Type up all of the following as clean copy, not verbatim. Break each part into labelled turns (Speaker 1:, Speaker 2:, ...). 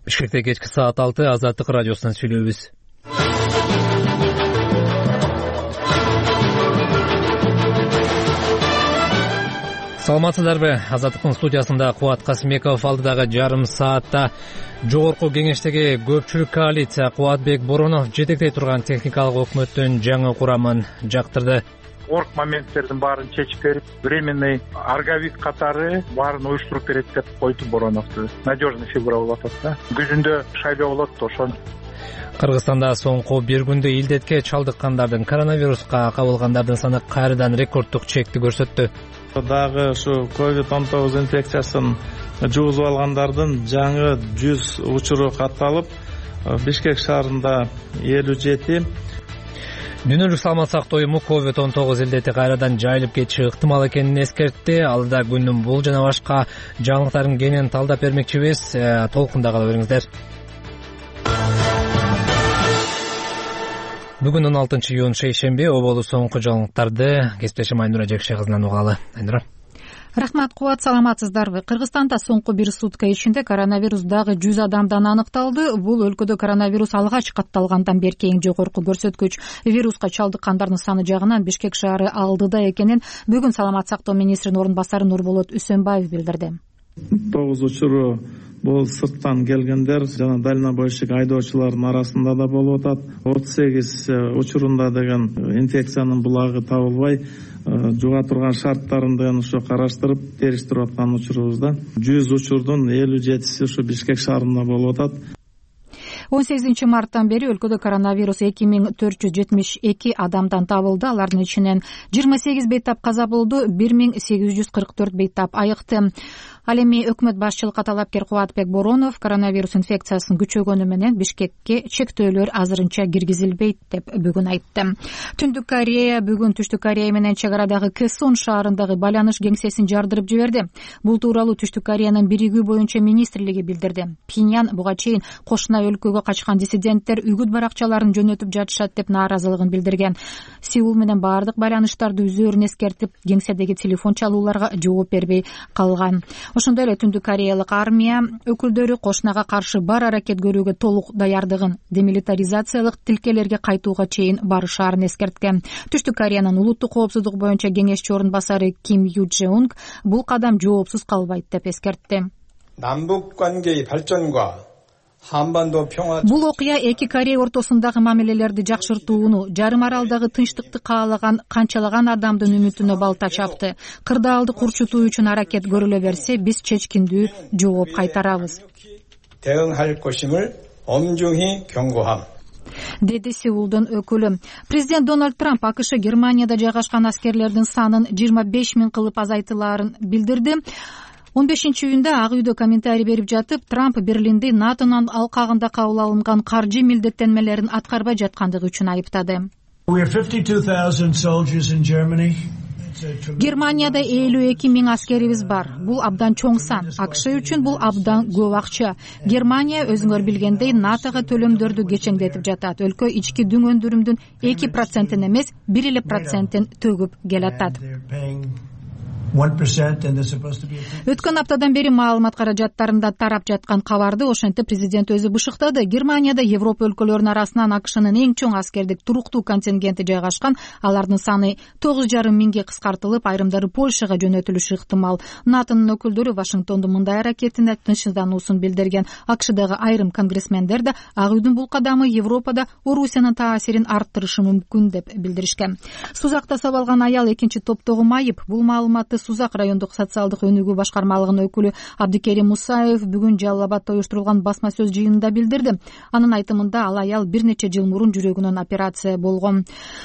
Speaker 1: Бишкекте кечки саат 6 Азаттык радиосунан сүйлөйбүз. Саламатсыздарбы? Азаттыктын студиясында Кубат Касымбеков алдыдагы жарым саатта жогорку кеңештеги көпчүлүк коалиция Кубатбек Боронов жетектей турган техникалык өкмөттүн жаңы курамын жактырды.
Speaker 2: Орк моменттердин баарын чечип берип, временный арговик катары баарын уюштуруп берет деп койду Бороновду. Надежный фигура болуп атат да. Күзүндө шайлоо болот, ошон.
Speaker 1: Кыргызстанда соңку бир күндө илдетке чалдыккандардын, коронавируска кабылгандардын саны кайрадан рекорддук чекти көрсөттү.
Speaker 3: Дагы ушу COVID-19 инфекциясын жугузуп алгандардын жаңы 100 учуру катталып, Бишкек шаарында 57.
Speaker 1: Дүйнөлүк саламат сактоо уюму COVID-19 илдети кайрадан жайылып кетиши ыктымал экенин эскертти. Алда күндүн бул жана башка жаңылыктарын кенен талдап бермекчибиз. Толкунда кала бериңиздер. Бүгүн 16 июнь шейшемби, оболу соңку жаңылыктарды кесиптешим Айнура Жекше кызынан угалы. Айнура.
Speaker 4: Рахмат, Кубат, саламатсыздарбы? Кыргызстанда соңку бир сутка ичинде коронавирус дагы 100 адамдан аныкталды. Бул өлкөдө коронавирус алгач катталгандан берки эң жогорку көрсөткүч. Вируска чалдыккандардын саны жагынан Бишкек шаары алдыда экенин бүгүн саламат сактоо министринин орун басары Нурболот Үсөнбаев билдирди.
Speaker 3: 9 учуру бул сырттан келгендер жана дальнобойщик айдоочулардын арасында да болуп атат. 38 учурунда деген инфекциянын булагы табылбай, жуга турган шарттарын ошо караштырып териштирип аткан учурубузда 100 учурдун 57си ушу Бишкек шаарында болуп атат.
Speaker 4: 18 марттан бери өлкөдө коронавирус 2472 адамдан табылды. Алардын ичинен 28 бейтап каза болду, 1844 бейтап айыкты. Ал эми өкмөт башчылыкка талапкер Кубатбек Боронов коронавирус инфекциясынын күчөгөнү менен Бишкекке чектөөлөр азырынча киргизилбейт деп бүгүн айтты. Түндүк Корея бүгүн Түштүк Корея менен чек арадагы Кэсон шаарындагы байланыш кеңсесин жардырып жиберди. Бул тууралуу Түштүк Кореянын биригүү боюнча министрлиги билдирди. Пинян буга чейин кошуна өлкөгө качкан диссиденттер үгүт баракчаларын жөнөтүп жатышат деп нааразылыгын билдирген. Сеул менен баардык байланыштарды үзөөрүн эскертип, кеңседеги телефон чалууларга жооп бербей калган. Ошондой эле Түндүк Кореялык армия өкүлдөрү кошунага каршы бар аракет көрүүгө толук даярдыгын, демилитаризациялык тилкелерге кайтууга чейин барышаарын эскерткен. Түштүк Кореянын улуттук коопсуздук боюнча кеңешчи орун басары Ким Ю Джеунг бул кадам жоопсуз калбайт деп эскертти.
Speaker 5: 남북 관계의 발전과
Speaker 4: Бул окуя эки Корея ортосундагы мамилелерди жакшыртууну, жарым аралдагы тынчтыкты каалаган канчалаган адамдын үмүтүнө балта чапты. Кырдаалды курчутуу үчүн аракет көрүлө берсе, биз чечкиндүү жооп кайтарабыз.
Speaker 5: 대응할 것임을 엄중히 경고함.
Speaker 4: Деди Сеулдун өкүлү. Президент Дональд Трамп АКШ Германияда жайгашкан аскерлердин санын 25 000 кылып азайтылаарын билдирди. 15 июнда Ак үйдө комментарий берип жатып, Трамп Берлинди НАТОнун алкагында кабыл алынган каржы милдеттенмелерин аткарбай жаткандыгы үчүн айыптады. Германияда 52 000 аскерибиз бар. Бул абдан чоң сан. АКШ үчүн бул абдан көп акча. Германия өзүңөр билгендей НАТОга төлөмдөрдү кечеңдетип жатат. Өлкө ички дүң өндүрүмдүн 2%-ин эмес, 1% төгүп келатат. Өткөн аптадан бери маалымат каражаттарында тарап жаткан кабарды ошентип президент өзү бышыктады. Германияда Европа өлкөлөрүнүн арасынан АКШнын эң чоң аскердик туруктуу контингенти жайгашкан. Алардын саны 9,5 миңге кыскартылып, айрымдары Польшага жөнөтүлүшү ыктымал. НАТОнун өкүлдөрү Вашингтондун мындай аракетине тынчсыздануусун билдирген. АКШдагы айрым конгрессмендер да Ак үйдүн бул кадамы Европада Орусиянын таасирин арттырышы мүмкүн деп билдиришкен. Сузакта сабалган аял экинчи топтогу майып. Бул маалыматты Сузак райондук социалдык өнүгүү башкармалыгынын өкүлү Абдикерим Мусаев бүгүн Жалал Абадта уюштурулган басма сөз жыйынында билдирди. Анын айтымында ал аял бир нече жыл мурун жүрөгүнөн операция болгон.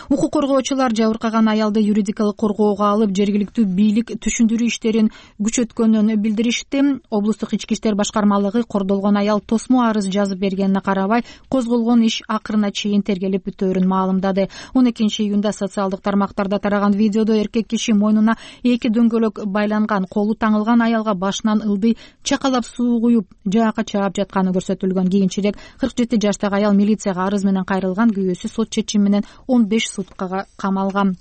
Speaker 4: Укук коргоочулар жабыркаган аялды юридикалык коргоого алып, жергиликтүү бийлик түшүндүрүү иштерин күчөткөнүн билдиришти. Облустук ички иштер башкармалыгы кордолгон аял тосмо арыз жазып бергенине карабай, козголгон иш акырына чейин тергелип бүтөөрүн маалымдады. 12 июнда социалдык тармактарда тараган видеодо эркек киши мойнуна эки дөңгөлөк байланган, колу таңылган аялга башынан ылдый чакалап суу куюп, жаакка чаап жатканы көрсөтүлгөн. Кийинчерээк 47 жаштагы аял милицияга арыз менен кайрылган, күйөөсү сот чечими менен 15 суткага камалган.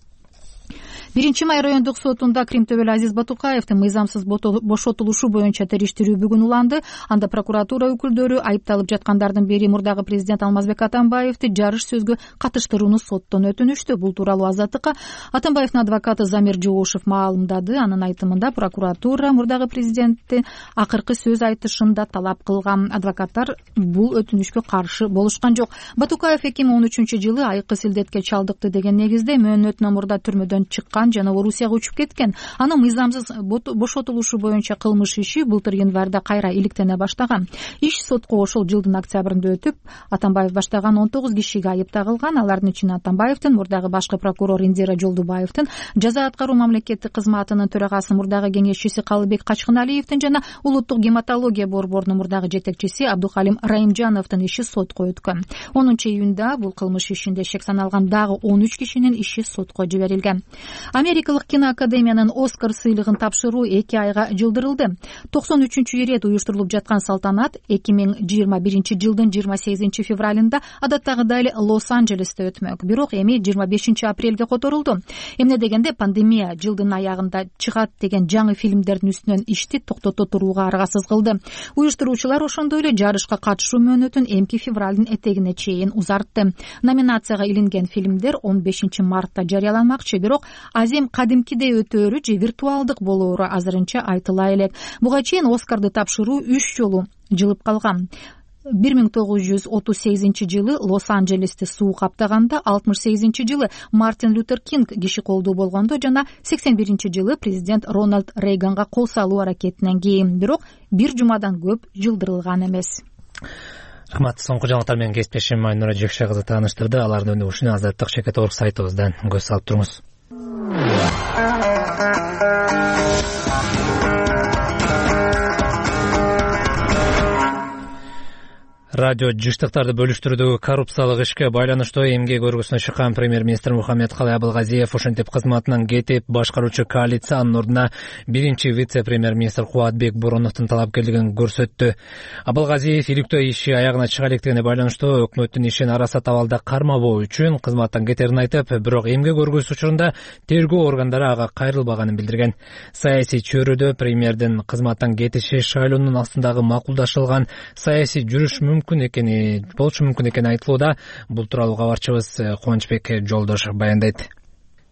Speaker 4: 1-Май райондук сотунда Кримтөбөл Азиз Батукаевдин мыйзамсыз бошотулушу боюнча териштирүү бүгүн уланды. Анда прокуратура өкүлдөрү айыпталып жаткандардын бири мурдагы президент Алмазбек Атамбаевди жарыш сөзгө катыштырууну соттон өтүнүштү. Бул тууралуу Азаттыкка Атамбаевдин адвокаты Замир Жоошев маалымдады. Анын айтымында прокуратура мурдагы президентти акыркы сөз айтышында талап кылган. Адвокаттар бул өтүнүшкө каршы болушкан жок. Батукаев 2013-жылы айкы силдетке чалдыкты деген негизде мөөнөтүнөн мурда түрмөдөн чыккан жана Орусияга учуп кеткен. Анын мыйзамсыз бошотулушу боюнча кылмыш иши былтыр январда кайра иликтене баштаган. Иш сотко ошол жылдын октябрында өтүп, Атамбаев баштаган 19 кишиге айып тагылган. Алардын ичинде Атамбаевдин, мурдагы башкы прокурор Индира Жолдубаевдин, жаза аткаруу мамлекеттик кызматынын төрагасы мурдагы кеңешчиси Калыбек Качкыналиевдин жана улуттук гематология борборунун мурдагы жетекчиси Абдухалим Раимжановдун иши сотко өткөн. 10-июнда бул кылмыш ишинде шек саналган дагы 13 кишинин иши сотко жиберилген. Америкалык киноакадемиянын Оскар сыйлыгын тапшыруу 2 айга жылдырылды. 93-чү ирет уюштурулуп жаткан салтанат 2021-жылдын 28 февралында адаттагыдай эле Лос-Анджелесте өтмөк. Бирок эми 25 апрелге которулду. Эмне дегенде пандемия жылдын аягында чыгат деген жаңы фильмдердин үстүнөн ишти токтото турууга аргасыз кылды. Уюштуруучулар ошондой эле жарышка катышуу мөөнөтүн эмки февралдын этегине чейин узартты. Номинацияга илинген фильмдер 15 мартта жарыяланмакчы, бирок азем кадимкидей өтөөрү же виртуалдык болоору азырынча айтыла элек. Буга чейин Оскарды тапшыруу 3 жолу жылып калган. 1938-жылы Лос-Анджелести суу каптаганда, 68-жылы Мартин Лютер Кинг киши колдуу болгондо жана 81-жылы президент Рональд Рейганга кол салуу аракетинен кийин. Бирок бир жумадан көп жылдырылган эмес.
Speaker 1: Рахмат. Соңку жаңылыктар менен кесиптешим Айнура Жекше кызы тааныштырды. Алардын өнүгүшүнө Азаттык Шекет.орг сайтыбыздан көз салып туруңуз. Радио жыштыктарды бөлүштүрүүдөгү коррупциялык ишке байланыштуу эмгек өргүсүнө чыккан премьер-министр Мухаммедкалый Абылгазиев ошентип кызматынан кетип, башкаруучу коалиция анын ордуна биринчи вице-премьер-министр Кубатбек Бороновдун талапкерлигин көрсөттү. Абылгазиев иликтөө иши аягына чыга электигине байланыштуу өкмөттүн ишин араса табалда кармабоо үчүн кызматтан кетерин айтып, бирок эмгек өргүсү учурунда тергөө органдары ага кайрылбаганын билдирген. Саясий чөйрөдө премьердин кызматтан кетиши шайлоонун астындагы макулдашылган саясий жүрүш болушу мүмкүн экени айтылууда. Бул тууралуу кабарчыбыз Кубанычбек Жолдош баяндайт.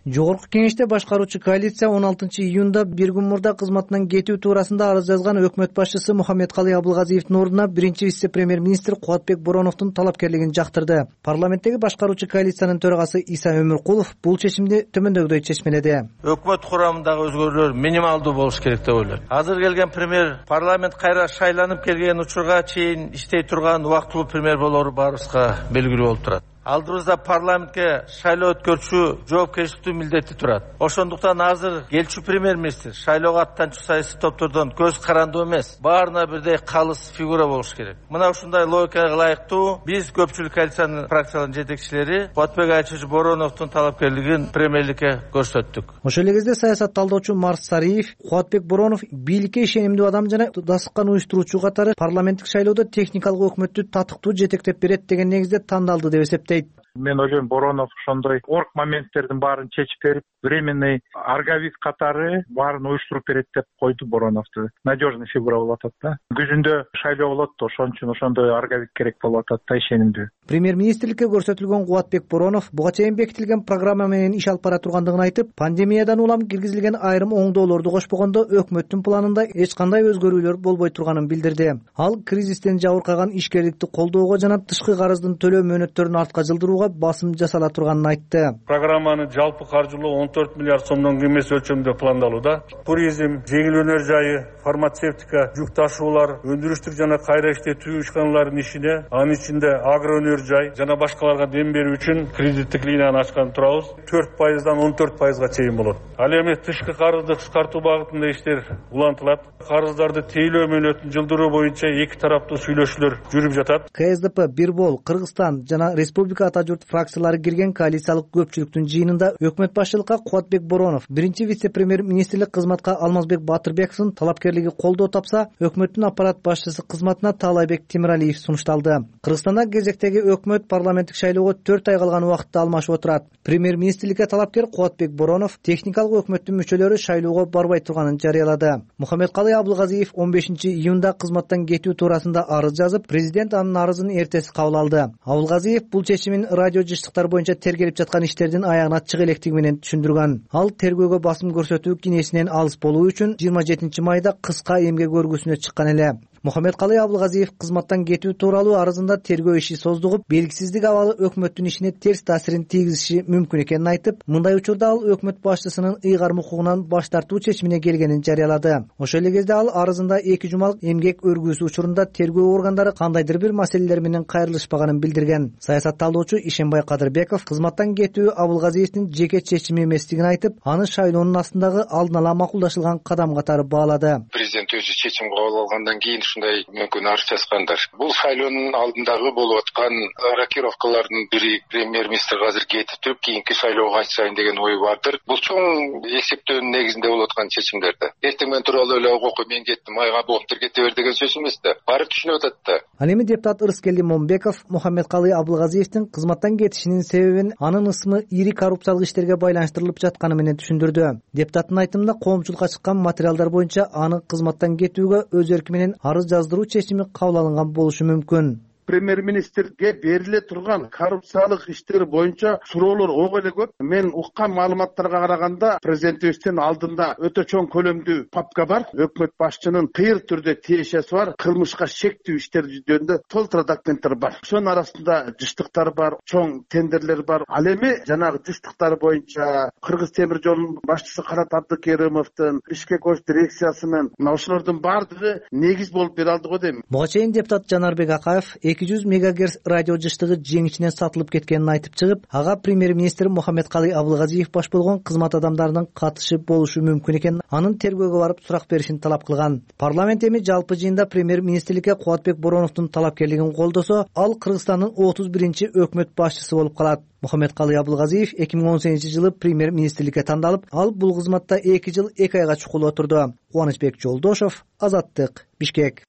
Speaker 6: Жогорку кеңеште башкаруучу коалиция 16-июнда бир күн мурда кызматынан кетүү туурасында арыз жазган өкмөт башчысы Мухаммедкалый Абылгазиевдин ордуна биринчи вице-премьер-министр Кубатбек Бороновдун талапкерлигин жактырды. Парламенттеги башкаруучу коалициянын төрагасы Иса Өмүркулов бул чечимди төмөндөгүдөй чечмеледи.
Speaker 7: Өкмөт курамындагы өзгөрүүлөр минималдуу болуш керек деп ойлойм. Азыр келген премьер парламент кайра шайланып келген учурга чейин иштей турган убактылуу премьер болоору баарыбызга белгилүү болуп турат. Алдыбызда парламентке шайлоо өткөрчү жоопкерчиликтүү милдети турат. Ошондуктан азыр келчү премьер-министр шайлоого аттанчу саясий топтордон көз карандуу эмес, баарына бирдей калыс фигура болуш керек. Мына ушундай логикага ылайыктуу биз көпчүлүк коалициянын фракцияларынын жетекчилери Кубатбек Айчыч Бороновдун талапкерлигин премьерликке көрсөттүк.
Speaker 6: Ошол эле кезде саясат талдоочу Марс Сариев Кубатбек Боронов бийликке ишенимдүү адам жана дастыккан уюштуруучу катары парламенттик шайлоодо техникалык өкмөттү татыктуу жетектеп берет деген негизде тандалды деп эсептейт.
Speaker 2: Мен ойлойм, Боронов ошондой орг моменттердин баарын чечип берип, временный аргавист катары баарын уюштуруп берет деп койду Бороновду. Надежный фигура болуп атат да. Күзүндө шайлоо болот, ошон үчүн ошондой аргавист керек болуп атат да, ишенимдүү.
Speaker 6: Премьер-министрликке көрсөтүлгөн Кубатбек Боронов буга чейин бекитилген программа менен иш алып бара тургандыгын айтып, пандемиядан улам киргизилген айрым оңдоолорду кошпогондо өкмөттүн планында эч кандай өзгөрүүлөр болбой турганын билдирди. Ал кризистен жабыркаган ишкерликти колдоого жана тышкы карыздын төлөө мөөнөттөрүн артка жылдырууга басым жасала турганын айтты.
Speaker 8: Программаны жалпы каржылоо 14 миллиард сомдон кем эмес өлчөмдө пландалууда. Туризм, жеңил өнөр жайы, фармацевтика, жүк ташуулар, өндүрүштүк жана кайра иштетүү ишканаларынын ишине, анын ичинде агро өнөр жай жана башкаларга дем берүү үчүн кредиттик линияны ачкан турабыз. 4%дан 14%га чейин болот. Ал эми тышкы карызды кыскартуу багытында иштер улантылат. Карыздарды тейлөө мөөнөтүн жылдыруу боюнча эки тараптуу сүйлөшүүлөр жүрүп жатат.
Speaker 6: КСДП, Бирбол, Кыргызстан жана Республика ата журт фракциялары кирген коалициялык көпчүлүктүн жыйынында өкмөт башчылыкка Кубатбек Боронов, биринчи вице-премьер-министрлик кызматка Алмазбек Батырбековдун талапкерлиги колдоо тапса, өкмөттүн аппарат башчысы кызматына Таалайбек Темиралиев сунушталды. Кыргызстанда кезектеги өкмөт парламенттик шайлоого 4 ай калган убакытта алмашып отурат. Премьер-министрликке талапкер Кубатбек Боронов техникалык өкмөттүн мүчөлөрү шайлоого барбай турганын жарыялады. Мухаммедкалый Абылгазиев 15 июнда кызматтан кетүү туурасында арыз жазып, президент анын арызын эртеси кабыл алды. Абылгазиев бул чечимин радио жыштыктар боюнча тергелип жаткан иштердин аягына чыга электиги менен түшүндүргөн. Ал тергөөгө басым көрсөтүү кинесинен алыс болуу үчүн 27 майда кыска эмгек өргүсүнө чыккан эле. Мухаммедкалый Абылгазиев кызматтан кетүү тууралуу арызында тергөө иши создугуп, белгисиздик абалы өкмөттүн ишине терс таасирин тийгизиши мүмкүн экенин айтып, мындай учурда ал өкмөт башчысынын ыйгарым укугунан баш тартуу чечимине келгенин жарыялады. Ошол эле кезде ал арызында 2 жумалык эмгек өргүүсү учурунда тергөө органдары кандайдыр бир маселелер менен кайрылышпаганын билдирген. Саясатталуучу Ишенбай Кадырбеков кызматтан кетүү Абылгазиевдин жеке чечими эместигин айтып, аны шайлоонун астындагы алдын ала макулдашылган кадам катары баалады.
Speaker 9: Президент өзү чечим кабыл алгандан кийин ушундай мүмкүн арыз жазгандар. Бул шайлоонун алдындагы болуп аткан рокировкалардын бири премьер-министр азыр кетип туруп, кийинки шайлоого катышайын деген ой бардыр. Бул чоң эсептөөнүн негизинде болуп аткан чечимдерди. Эртең менен туруп алып эле ого мен кеттим, айга болуптур кете бер деген сөз эмес да. Баары түшүнүп атат да.
Speaker 6: Ал эми депутат Ырыскелди Момбеков Мухаммедкалый Абылгазиевдин кызматтан кетишинин себебин анын ысымы ири коррупциялык иштерге байланыштырылып жатканы менен түшүндүрдү. Депутаттын айтымында коомчулукка чыккан материалдар боюнча аны кызматтан кетүүгө өз эрки менен арыз жаздыруу чечими кабыл алынган болушу мүмкүн.
Speaker 10: Премьер-министрге бериле турган коррупциялык иштер боюнча суроолор ого эле көп. Мен уккан маалыматтарга караганда президентибиздин алдында өтө чоң көлөмдүү папка бар. Өкмөт башчынын кыйыр түрдө тиешеси бар. Кылмышка шектүү иштер жөнүндө толтура документтер бар. Ошонун арасында жыштыктар бар, чоң тендерлер бар. Ал эми жанагы жыштыктар боюнча Кыргыз темир жолунун башчысы Канат Абдыкеримовдун, Бишкек ош дирекциясынын ошолордун баардыгы негиз болуп бере алды го дейм.
Speaker 6: Буга чейин депутат Жанарбек Акаев 200 мегагерц радио жыштыгы жеңичинен сатылып кеткенин айтып чыгып, ага премьер-министр Мухаммедкалый Абылгазиев баш болгон кызмат адамдарынын катышы болушу мүмкүн экенин, анын тергөөгө барып сурак беришин талап кылган. Парламент эми жалпы жыйында премьер-министрликке Кубатбек Бороновдун талапкерлигин колдосо, ал Кыргызстандын 31-чи өкмөт башчысы болуп калат. Мухаммедкалый Абылгазиев 2018-жылы премьер-министрликке тандалып, ал бул кызматта 2 жыл 2 айга чукул отурду. Кубанычбек Жолдошов, Азаттык, Бишкек.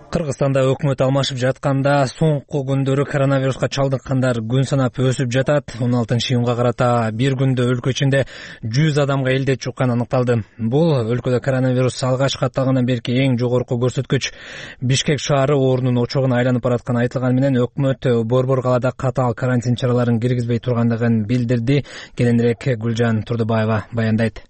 Speaker 1: Кыргызстанда өкмөт алмашып жатканда соңку күндөрү коронавируска чалдыккандар күн санап өсүп жатат. 16-июнга карата бир күндө өлкө ичинде 100 адамга илдет жукканы аныкталды. Бул өлкөдө коронавирус алгач катталгандан берки эң жогорку көрсөткүч. Бишкек шаары оорунун очогуна айланып баратканы айтылганы менен өкмөт Борбор калаада катаал карантин чараларын киргизбей тургандыгын билдирди. Кененирээк Гүлжан Турдубаева баяндайт.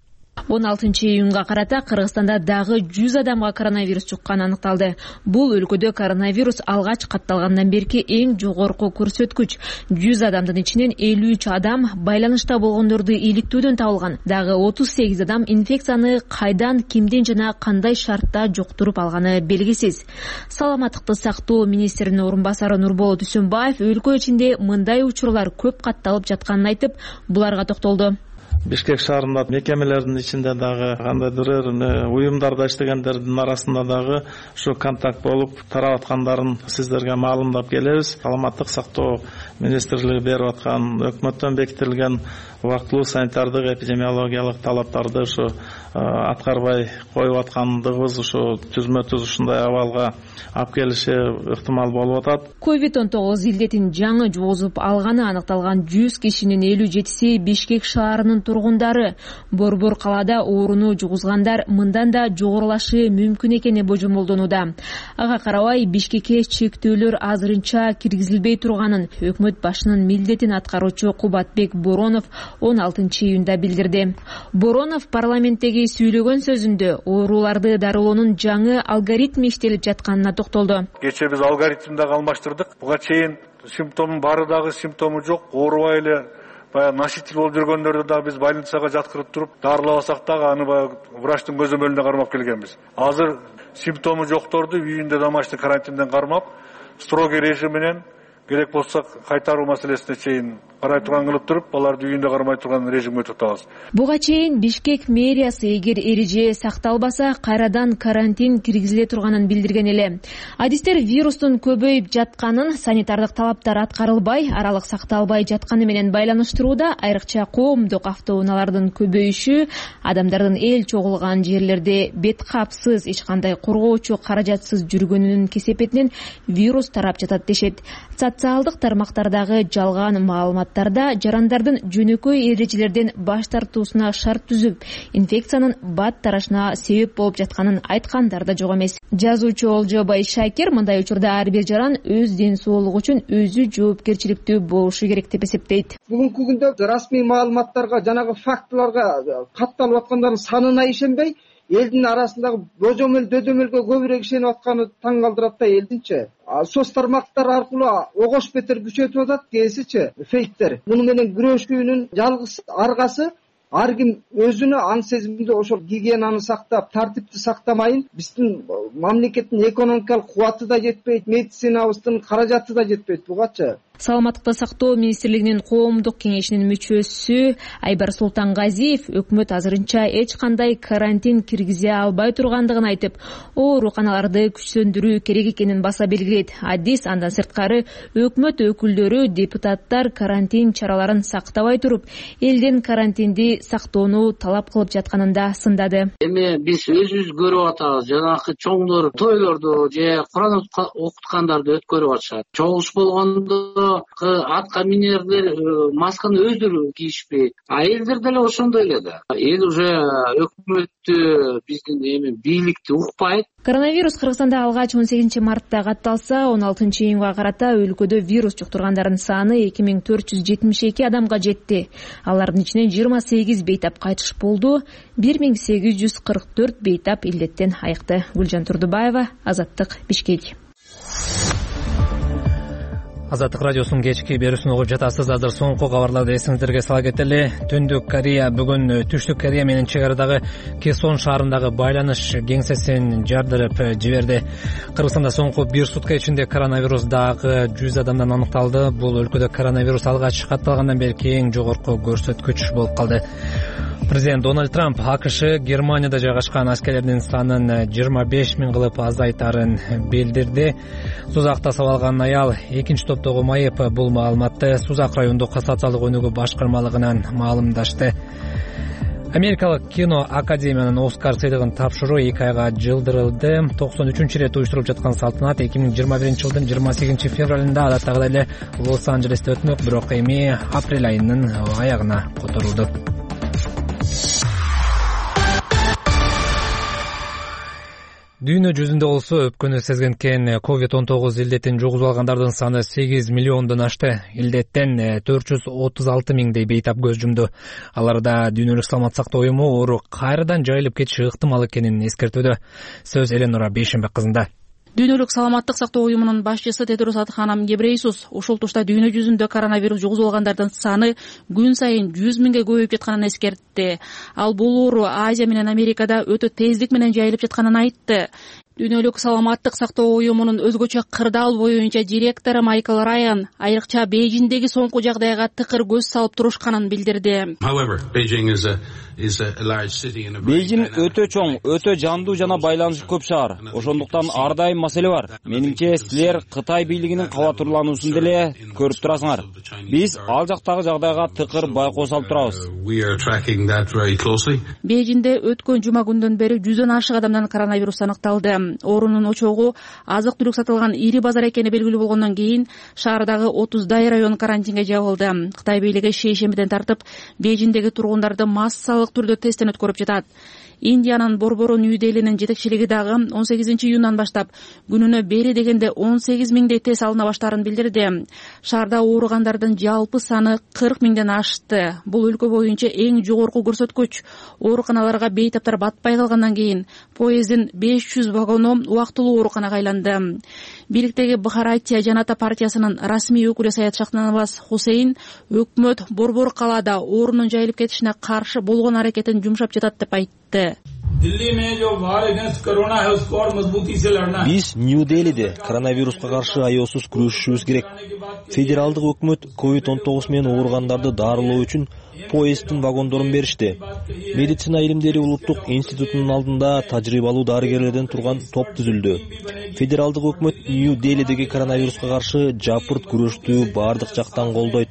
Speaker 11: 16-июнга карата Кыргызстанда дагы 100 адамга коронавирус жукканы аныкталды. Бул өлкөдө коронавирус алгач катталгандан берки эң жогорку көрсөткүч. 100 адамдын ичинен 53 адам байланышта болгондорду иликтүүдөн табылган. Дагы 38 адам инфекцияны кайдан, кимден жана кандай шартта жуктуруп алганы белгисиз. Саламаттыкты сактоо министринин орун басары Нурболот Үсөнбаев өлкө ичинде мындай учурлар көп катталып жатканын айтып, буларга токтолду.
Speaker 3: Бишкек шаарында мекемелердин ичинде дагы кандайдыр уюмдарда иштегендердин арасында дагы ушу контакт болуп тарап аткандарын сиздерге маалымдап келебиз. Саламаттык сактоо министрлиги берип аткан өкмөттөн бекитилген убактылуу санитардык эпидемиологиялык талаптарды ушу аткарбай коюп аткандыгыбыз ушу түзмө-түз ушундай абалга алып келиши ыктымал болуп атат.
Speaker 11: COVID-19 илдетин жаңы жугузуп алганы аныкталган 100 кишинин 57си Бишкек шаарынын тургундары. Борбор калаада ооруну жугузгандар мындан да жогорулашы мүмкүн экени божомолдонууда. Ага карабай Бишкекке чектөөлөр азырынча киргизилбей турганын өкмөт башынын милдетин аткаруучу Кубатбек Боронов 16-июнда билдирди. Боронов парламенттеги сүйлөгөн сөзүндө ооруларды дарылоонун жаңы алгоритми иштелип жатканына токтолду.
Speaker 8: Кечээ биз алгоритмди алмаштырдык. Буга чейин симптомун бары дагы симптому жок, оорубай эле баягы носитель болуп жүргөндөрдү да биз больницага жаткырып туруп дарылабасак дагы аны баягы врачтын көзөмөлүнө кармап келгенбиз. Азыр симптому жокторду үйүндө домашний карантинден кармап, строгий режим менен керек болсо кайтаруу маселесине чейин карай турган кылып туруп, аларды үйүндө кармай турган режимге өтүп.
Speaker 11: Буга чейин Бишкек мэриясы эгер эреже сакталбаса, кайрадан карантин киргизиле турганын билдирген эле. Адистер вирустун көбөйүп жатканын, санитардык талаптар аткарылбай, аралык сакталбай жатканы менен байланыштырууда. Айрыкча коомдук автоунаалардын көбөйүшү, адамдардын эл чогулган жерлерде бет капсыз, эч кандай коргоочу каражатсыз жүргөнүнүн кесепетинен вирус тарап жатат дешет. Социалдык тармактардагы жалган маалыматтарда жарандардын жөнөкөй эрежелерден баш тартуусуна шарт түзүп, инфекциянын бат тарашына себеп болуп жатканын айткандар да жок эмес. Жазуучу Олжо Байшакер мындай учурда ар бир жаран өз ден соолугу үчүн өзү жоопкерчиликтүү болушу керек деп эсептейт.
Speaker 12: Бүгүнкү күндө расмий маалыматтарга, жанагы фактыларга катталып аткандардын санына ишенбей, элдин арасындагы божомол дөдөмөлгө көбүрөөк ишенип атканы таң калтырат да элдинчи. Соц тармактар аркылуу огош бетер күчөтүп атат, кээсичи фейктер. Муну менен күрөшүүнүн жалгыз аргасы ар ким өзүнө аң сезимде ошол гигиенаны сактап, тартипти сактамайын, биздин мамлекеттин экономикалык кубаты да жетпейт, медицинабыздын каражаты да жетпейт бугачы.
Speaker 11: Саламаттыкты сактоо министрлигинин коомдук кеңешинин мүчөсү Айбар Султангазиев өкмөт азырынча эч кандай карантин киргизе албай тургандыгын айтып, ооруканаларды күчтөндүрүү керек экенин баса белгилейт. Адис андан сырткары өкмөт өкүлдөрү, депутаттар карантин чараларын сактабай туруп, элден карантинди сактоону талап кылып жатканын да сындады.
Speaker 13: Эми биз өзүбүз көрүп атабыз, жанагы чоңдор тойлорду же Куран окуткандарды өткөрүп атышат. Чогулуш болгондо атка минерлер масканы өздөрү кийишпейт. Элдер деле ошондой эле да. Эл уже өкмөттү, биздин эми бийликти укпайт.
Speaker 11: Коронавирус Кыргызстанда алгач 18 мартта катталса, 16 июнга карата өлкөдө вирус жуктургандардын саны 2472 адамга жетти. Алардын ичинен 28 бейтап кайтыш болду, 1844 бейтап илдеттен айыкты. Гүлжан Турдубаева, Азаттык, Бишкек.
Speaker 1: Азаттык радиосунун кечки берүүсүн угуп жатасыз. Азыр соңку кабарларды эсиңиздерге сала кетели. Түндүк Корея бүгүн Түштүк Корея менен чек арадагы Кесон шаарындагы байланыш кеңсесин жардырып жиберди. Кыргызстанда соңку бир сутка ичинде коронавирус дагы 100 адамдан аныкталды. Бул өлкөдө коронавирус алгач катталгандан берки эң жогорку көрсөткүч болуп калды. Президент Дональд Трамп АКШ Германияда жайгашкан аскерлердин санын 25 миң кылып азайтарын билдирди. Сузакта сабалган аял экинчи топтогу майып. Бул маалыматты Сузак райондук кассациялык өнүгүү башкармалыгынан маалымдашты. Америкалык кино академиянын Оскар сыйлыгын тапшыруу 2 айга жылдырылды. 93-рет уюштуруп жаткан салтанат 2021-жылдын 28 февралында адаттагыдай эле Лос-Анджелесте өтмөк, бирок эми апрель айынын аягына которулду. Дүйнө жүзүндө болсо өпкөнү сезгенкен COVID-19 илдетин жугузуп алгандардын саны 8 миллиондон ашты. Илдеттен 436 миңдей бейтап көз жумду. Аларда Дүйнөлүк саламаттык сактоо уюму оору кайрадан жайылып кетиши ыктымал экенин эскертүүдө. Сөз Эленора Бейшенбек кызында.
Speaker 14: Дүйнөлүк саламаттык сактоо уюмунун башчысы Тедрос Адханам Гебрейсус ушул тушта дүйнө жүзүндө коронавирус жугузуп алгандардын саны күн сайын 100 миңге көбөйүп жатканын эскертти. Ал бул оору Азия менен Америкада өтө тездик менен жайылып жатканын айтты. Дүйнөлүк саламаттык сактоо уюмунун өзгөчө кырдаал боюнча директору Майкл Райан айрыкча Бейжиңдеги соңку жагдайга тыкыр көз салып турушканын билдирди.
Speaker 15: Бейжиң өтө чоң, өтө жандуу жана байланышы көп шаар. Ошондуктан ар дайым маселе бар. Менимче силер Кытай бийлигинин кабатурлануусун деле көрүп турасыңар. Биз ал жактагы жагдайга тыкыр байкоо салып турабыз.
Speaker 14: Бейжиңде өткөн жума күндөн бери 100дөн ашык адамдан коронавирус аныкталды. Оорунун очогу азык-түлүк сатылган ири базар экени белгилүү болгондон кийин шаардагы 30дай район карантинге жабылды. Кытай бийлиги шейшембиден тартып Бейжиңдеги тургундарды массалык түрдө тесттен өткөрүп жатат. Индиянын борбору Нью-Делинин жетекчилиги дагы 18 июндан баштап күнүнө бери дегенде 18 миңдей тест алына баштаарын билдирди. Шаарда ооругандардын жалпы саны 40 миңден ашты. Бул өлкө боюнча эң жогорку көрсөткүч. Ооруканаларга бейтаптар батпай калгандан кийин поезддин 500 вагону убактылуу ооруканага айланды. Бийликтеги Бхаратия Жаната партиясынын расмий өкүлү Саят Шахнаваз Хусейн өкмөт борбор калаада оорунун жайылып кетишине каршы болгон аракетин жумшап жатат деп айтты.
Speaker 16: Биз Нью-Делиде коронавируска каршы аеосуз күрөшүшүбүз керек. Федералдык өкмөт COVID-19 менен ооругандарды дарылоо үчүн поезддин вагондорун беришти. Медицина илимдери улуттук институтунун алдында тажрыйбалуу дарыгерлерден турган топ түзүлдү. Федералдык өкмөт Нью-Делидеги коронавируска каршы жапырт күрөштү бардык жактан колдойт.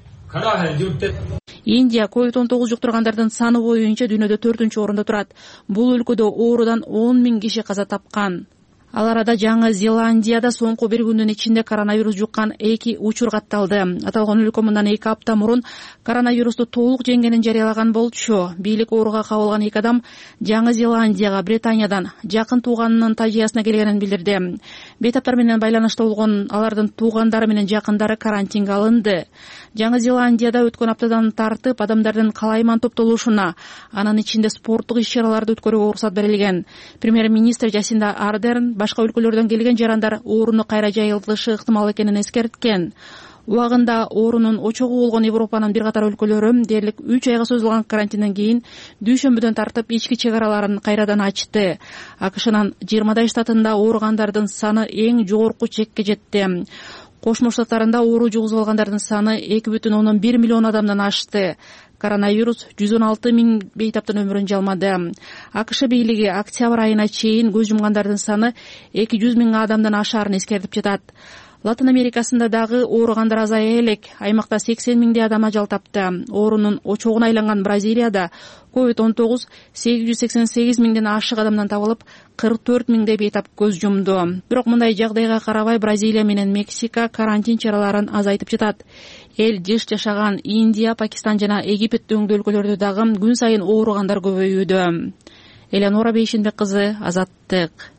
Speaker 14: Индия COVID-19 жуктургандардын саны боюнча дүйнөдө 4-орунда турат. Бул өлкөдө оорудан 10 000 киши каза тапкан. Ал арада Жаңы Зеландияда соңку бир күндүн ичинде коронавирус жуккан 2 учур катталды. Аталган өлкө мындан 2 апта мурун коронавирусту толук жеңгенин жарыялаган болчу. Бийлик ооруга кабылган 2 адам Жаңы Зеландияга Британиядан жакын тууганынын тажыясына келгенин билдирди. Бейтаптар менен байланышта болгон алардын туугандары менен жакындары карантинге алынды. Жаңы Зеландияда өткөн аптадан тартып адамдардын калайман топтолушуна, анын ичинде спорттук иш-чараларды өткөрүүгө уруксат берилген. Премьер-министр Жасинда Ардерн башка өлкөлөрдөн келген жарандар ооруну кайра жайылтышы ыктымал экенин эскерткен. Убагында оорунун очогу болгон Европанын бир катар өлкөлөрү дээрлик 3 айга созулган карантинден кийин дүйшөмбүдөн тартып ички чек араларын кайрадан ачты. АКШнын 20 штатында ооругандардын саны эң жогорку чекке жетти. Кошмо Штаттарында оору жугузуп алгандардын саны 2,1 миллион адамдан ашты. Коронавирус 116 000 бейтаптын өмүрүн жалмады. АКШ бийлиги октябрь айына чейин көз жумгандардын саны 200 000 адамдан ашаарын эскертип жатат. Латын Америкасында дагы ооругандар азая элек. Аймакта 80 000 адам ажал тапты. Оорунун очогуна айланган Бразилияда COVID-19 888 000ден ашык адамдан табылып, 44 000 бейтап көз жумду. Бирок мындай жагдайга карабай Бразилия менен Мексика карантин чараларын азайтып жатат. Эл жыш жашаган Индия, Пакистан жана Египет дөңдүү өлкөлөрдө дагы күн сайын ооругандар көбөйүүдө. Элеонора Бейшенбек кызы, Азаттык.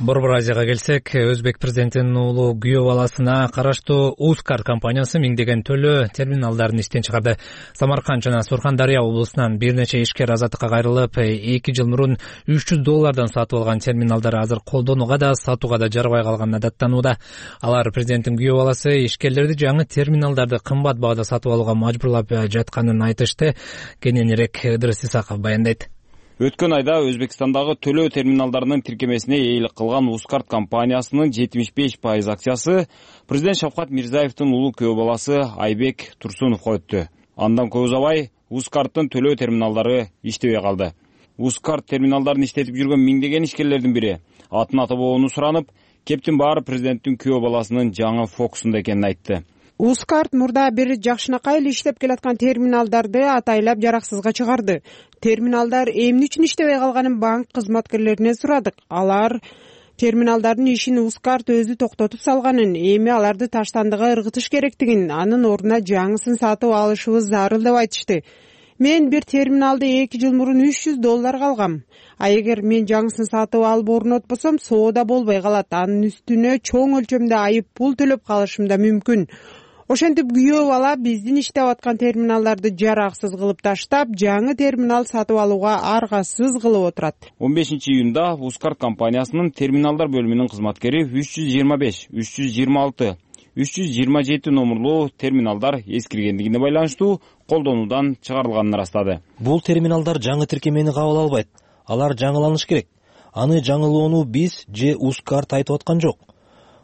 Speaker 1: Борбор Азияга келсек, Өзбек президентинин уулу күйөө баласына караштуу Ускар компаниясы миңдеген төлөө терминалдарын иштен чыгарды. Самарканд жана Сурхандария облусунан бир нече ишкер азаттыкка кайрылып, 2 жыл мурун $300 сатып алган терминалдар азыр колдонууга да, сатууга да жарабай калганына даттанууда. Алар президенттин күйөө баласы ишкерлерди жаңы терминалдарды кымбат баада сатып алууга мажбурлап жатканын айтышты. Кененирээк Ыдырыс Исаков баяндайт.
Speaker 15: Өткөн айда Өзбекстандагы төлөө терминалдарынын тиркемесине ээлик кылган Ускарт компаниясынын 75% акциясы президент Шавкат Мирзиевдин улуу күйөө баласы Айбек Турсуновго өттү. Андан көп узабай Ускарттын төлөө терминалдары иштебей калды. Ускарт терминалдарын иштетип жүргөн миңдеген ишкерлердин бири атын атабоону суранып, кептин баары президенттин күйөө баласынын жаңы фокусунда экенин айтты.
Speaker 17: Ускарт мурда бир жакшынакай эле иштеп келаткан терминалдарды атайлап жараксызга чыгарды. Терминалдар эмне үчүн иштебей калганын банк кызматкерлеринен сурадык. Алар терминалдардын ишин Ускарт өзү токтотуп салганын, эми аларды таштандыга ыргытыш керектигин, анын ордуна жаңысын сатып алышыбыз зарыл деп айтышты. Мен бир терминалды 2 жыл мурун $300 алгам. А эгер мен жаңысын сатып алып орнотпосом, соода болбой калат. Анын үстүнө чоң өлчөмдө айып пул төлөп калышым да мүмкүн. Ошентип күйөө бала биздин иштеп аткан терминалдарды жараксыз кылып таштап, жаңы терминал сатып алууга аргасыз кылып отурат.
Speaker 15: 15 июнда Ускарт компаниясынын терминалдар бөлүмүнүн кызматкери 325, 326, 327 номерлуу терминалдар эскиргендигине байланыштуу колдонуудан чыгарылганын ырастады.
Speaker 16: Бул терминалдар жаңы тиркемени кабыл албайт. Алар жаңыланыш керек. Аны жаңылоону биз же Ускарт айтып аткан жок.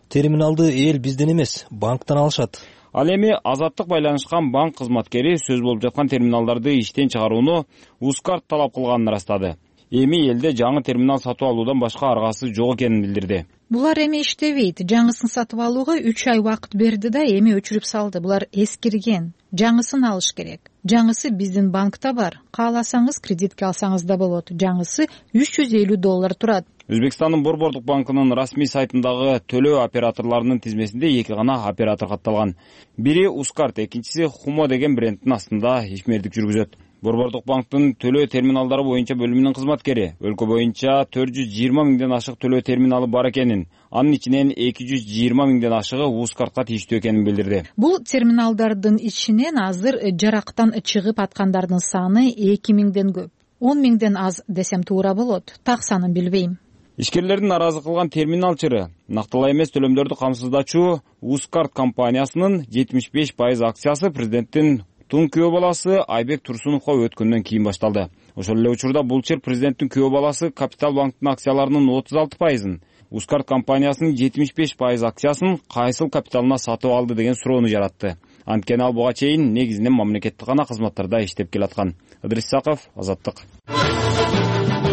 Speaker 16: Терминалды эл бизден эмес, банктан алышат.
Speaker 15: Ал эми азаттык байланышкан банк кызматкери сөз болуп жаткан терминалдарды иштен чыгарууну Ускарт талап кылганын ырастады. Эми элде жаңы терминал сатып алуудан башка аргасы жок экенин билдирди.
Speaker 4: Булар эми иштебейт. Жаңысын сатып алууга 3 ай убакыт берди да эми өчүрүп салды. Булар эскирген. Жаңысын алыш керек. Жаңысы биздин банкта бар. Кааласаңыз кредитке алсаңыз да болот. Жаңысы $350 турат.
Speaker 15: Өзбекстандын Борбордук банкынын расмий сайтындагы төлөө операторлорунун тизмесинде 2 гана оператор катталган. Бири Ускарт, экинчиси Хумо деген брендтин астында ишмердик жүргүзөт. Борбордук банктын төлөө терминалдары боюнча бөлүмүнүн кызматкери өлкө боюнча 420 000ден ашык төлөө терминалы бар экенин, анын ичинен 220 000ден ашыгы Ускартка тийиштүү экенин билдирди.
Speaker 4: Бул терминалдардын ичинен азыр жарактан чыгып аткандардын саны 2000ден көп. 10 000ден аз десем туура болот. Так санын билбейм.
Speaker 15: Ишкерлердин наразы кылган терминал чыры нактылай эмес төлөмдөрдү камсыздачу Ускарт компаниясынын 75% акциясы президенттин Туруктун күйөө баласы Айбек Турсуновго өткөндөн кийин башталды. Ошол эле учурда бул чыр президенттин күйөө баласы Капитал банктын акцияларынын 36%, Ускарт компаниясынын 75% акциясын кайсыл капиталына сатып алды деген суроону жаратты. Анткени ал буга чейин негизинен мамлекеттик гана кызматтарда иштеп келаткан. Ыдрис Исаков, Азаттык.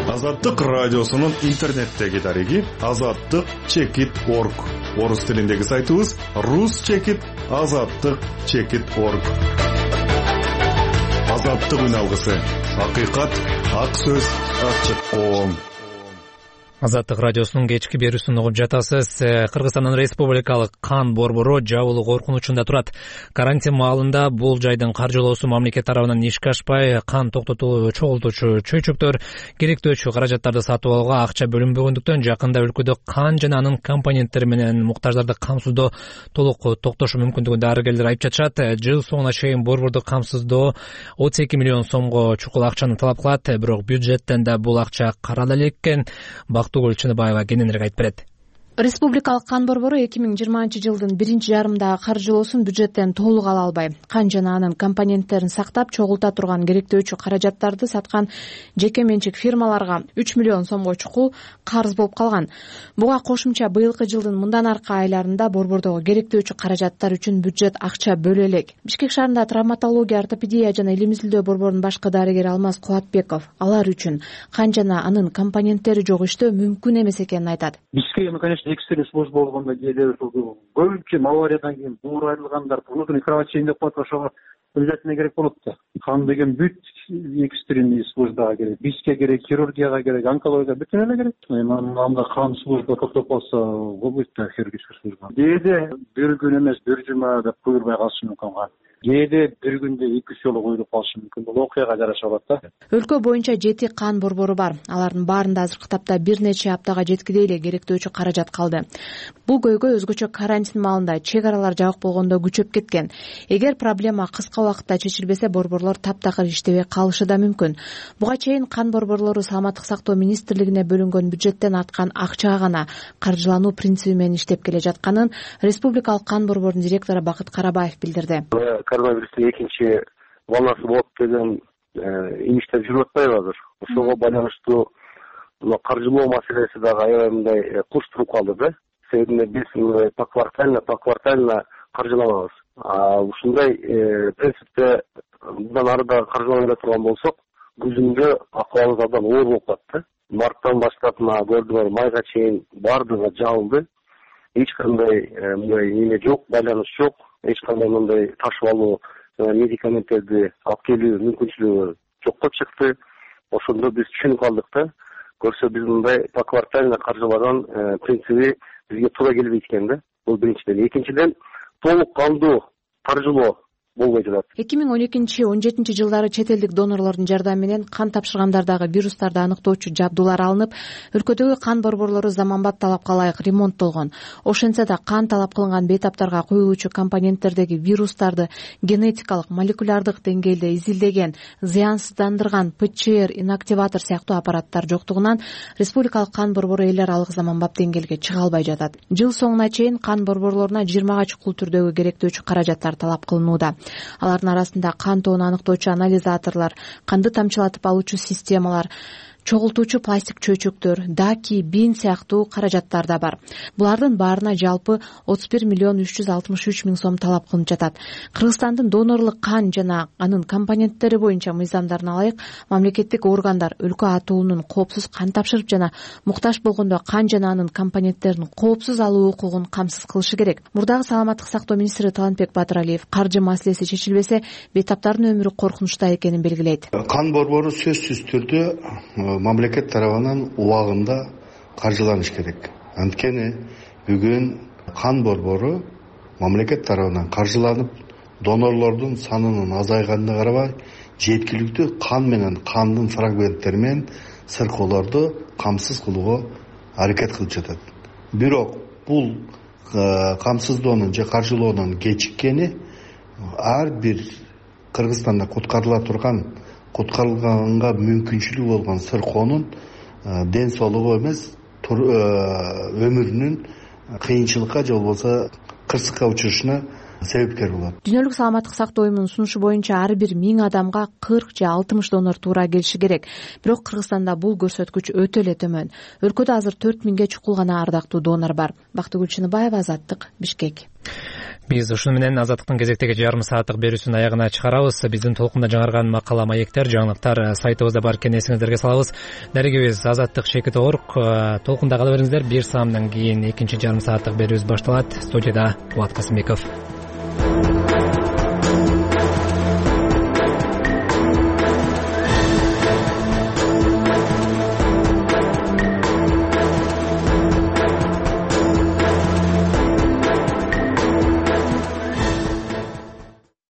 Speaker 18: Азаттык радиосунун интернеттеги дареги azattik.org. Орус тилиндеги сайтыбыз rus.azattik.org. Азаттык үн алгысы. Акыйкат, ак сөз, ачык коом.
Speaker 1: Азаттык радиосунун кечки берүүсүн угуп жатасыз. Кыргызстандын республикалык кан борбору жабылуу коркунучунда турат. Карантин маалында бул жайдын каржылоосу мамлекет тарабынан ишке ашпай, кан токтотуу чогултуучу чөйчөктөр керектөөчү каражаттарды сатып алууга акча бөлүнбөгөндүктөн жакында өлкөдө кан жана анын компоненттери менен муктаждарды камсыздоо толук токтошу мүмкүндүгүн дарыгерлер айтып жатышат. Жыл соңуна чейин борборду камсыздоо 32 миллион сомго чукул акчаны талап кылат, бирок бюджеттен да бул акча карала элек экен. Бактыгүл Чыныбаева кененирээк айтып берет.
Speaker 19: Республикалык кан борбору 2020 жылдын биринчи жарымдагы каржылоосун бюджеттен толук ала албай, кан жана анын компоненттерин сактап чогулта турган керектөөчү каражаттарды саткан жеке менчик фирмаларга 3 миллион сомго чукул карыз болуп калган. Буга кошумча быйылкы жылдын мындан аркы айларында борбордогу керектөөчү каражаттар үчүн бюджет акча бөлө элек. Бишкек шаарында травматология, ортопедия жана илим изилдөө борборунун башкы дарыгери Алмаз Кубатбеков алар үчүн кан жана анын компоненттери жок иштөө мүмкүн эмес экенин айтат.
Speaker 20: Экстренный служба болгондо кээде көбүнчө авариядан кийин буур айрылгандар внутренний кровотечение деп коет, ошого обязательно керек болот да. Кан деген бүт экстренный службага керек, бизге керек, хирургияга керек, онкологияга бүтүн эле керек. Анда кан служба токтоп калса, болбойт да хирургический служба. Кээде бир күн эмес, бир жума деп куйулбай калышы мүмкүн. Кээде бир күндө 2 жолу куюлуп калышы мүмкүн. Бул окуяга жараша болот да.
Speaker 19: Өлкө боюнча 7 кан борбору бар. Алардын баарында азыркы тапта бир нече аптага жеткидей эле керектөөчү каражат калды. Бул көйгөй өзгөчө карантин маалында чек аралар жабык болгондо күчөп кеткен. Эгер проблема кыска убакытта чечилбесе, борборлор таптакыр иштебей калышы да мүмкүн. Буга чейин кан борборлору Саламаттык сактоо министрлигине бөлүнгөн бюджеттен арткан акчага гана каржылануу принциби менен иштеп келе жатканын республикалык кан борборунун директору Бакыт Карабаев билдирди.
Speaker 20: Коронавирустун экинчи волнасы болот деген имиштер жүрүп атпайбы азыр? Ошого байланыштуу каржылоо маселеси дагы аябай мындай курчтуруп калды да. Себеби биз поквартально каржыланабыз. Ушундай принципте мындан ары да каржылана турган болсок, күзүндө акыбалыбыз абдан оор болуп калат да. Марттан баштап көрдүңөр, майга чейин баардыгы жабылды. Эч кандай мындай неме жок, байланыш жок. Эч кандай мындай ташып алуу, медикаменттерди алып келүү мүмкүнчүлүгү жоктоп чыкты. Ошондо биз түшүнүп калдык да. Көрсө биз мындай поквартально каржылаган принциби бизге туура келбейт экен да. Бул биринчиден. Экинчиден, толук кандуу каржылоо болбой жатат.
Speaker 19: 2012-17 жылдары чет элдик донорлордун жардамы менен кан тапшыргандардагы вирустарды аныктоочу жабдуулар алынып, өлкөдөгү кан борборлору заманбап талапка ылайык ремонттолгон. Ошентсе да кан талап кылынган бейтаптарга куюлуучу компоненттердеги вирустарды генетикалык, молекулярдык деңгээлде изилдеген, зыянсыздандырган ПЧР, инактиватор сыяктуу аппараттар жоктугунан республикалык кан борбору эл аралык заманбап деңгээлге чыга албай жатат. Жыл соңуна чейин кан борборлоруна 20 чукул түрдөгү керектөөчү каражаттар талап кылынууда. Алардын арасында кан тоону аныктоочу анализаторлор, канды тамчылатып алуучу системалар, чогултуучу пластик чөйчөктөр, даки, бин сыяктуу каражаттар да бар. Булардын баарына жалпы 31 миллион 363 миң сом талап кылынып жатат. Кыргызстандын донорлук кан жана анын компоненттери боюнча мыйзамдарына ылайык мамлекеттик органдар өлкө атуулунун коопсуз кан тапшырып жана муктаж болгондо кан жана анын компоненттерин коопсуз алуу укугун камсыз кылышы керек. Мурдагы Саламаттык сактоо министри Талантбек Батыралиев каржы маселеси чечилбесе, бейтаптардын өмүрү коркунучта экенин белгилейт.
Speaker 21: Кан борбору сөзсүз түрдө мамлекет тарабынан убагында каржыланыш керек. Анткени бүгүн кан борбору мамлекет тарабынан каржыланып, донорлордун санынын азайганына карабай, жеткиликтүү кан менен кандын фрагменттери менен сыркоолорду камсыз кылууга аракет кылып жатат. Бирок бул камсыздоонун же каржылоонун кечиккени ар бир Кыргызстанда куткарылганга мүмкүнчүлүгү болгон сыркоонун ден соолугу эмес, өмүрүнүн кыйынчылыкка же болбосо кырсыкка учурушуна себепкер болот.
Speaker 19: Дүйнөлүк саламаттык сактоо уюмунун сунушу боюнча ар бир 1000 адамга 40 же 60 донор туура келиши керек. Бирок Кыргызстанда бул көрсөткүч өтө эле төмөн. Өлкөдө азыр 4000ге чукул гана ардактуу донор бар. Бактыгүл Чыныбаева, Азаттык, Бишкек.
Speaker 1: Биз ушуну менен Азаттыктын кезектеги жарым сааттык берүүсүнүн аягына чыгарабыз. Биздин толкунда жаңырган макала, маектер, жаңылыктар сайтыбызда бар экенин эсиңиздерге салабыз. Дарегебиз Азаттык-Шекит.org. Толкунда кала бериңиздер. 1 саамдан кийин экинчи жарым сааттык берүүбүз башталат. Студияда Булат Касымбеков.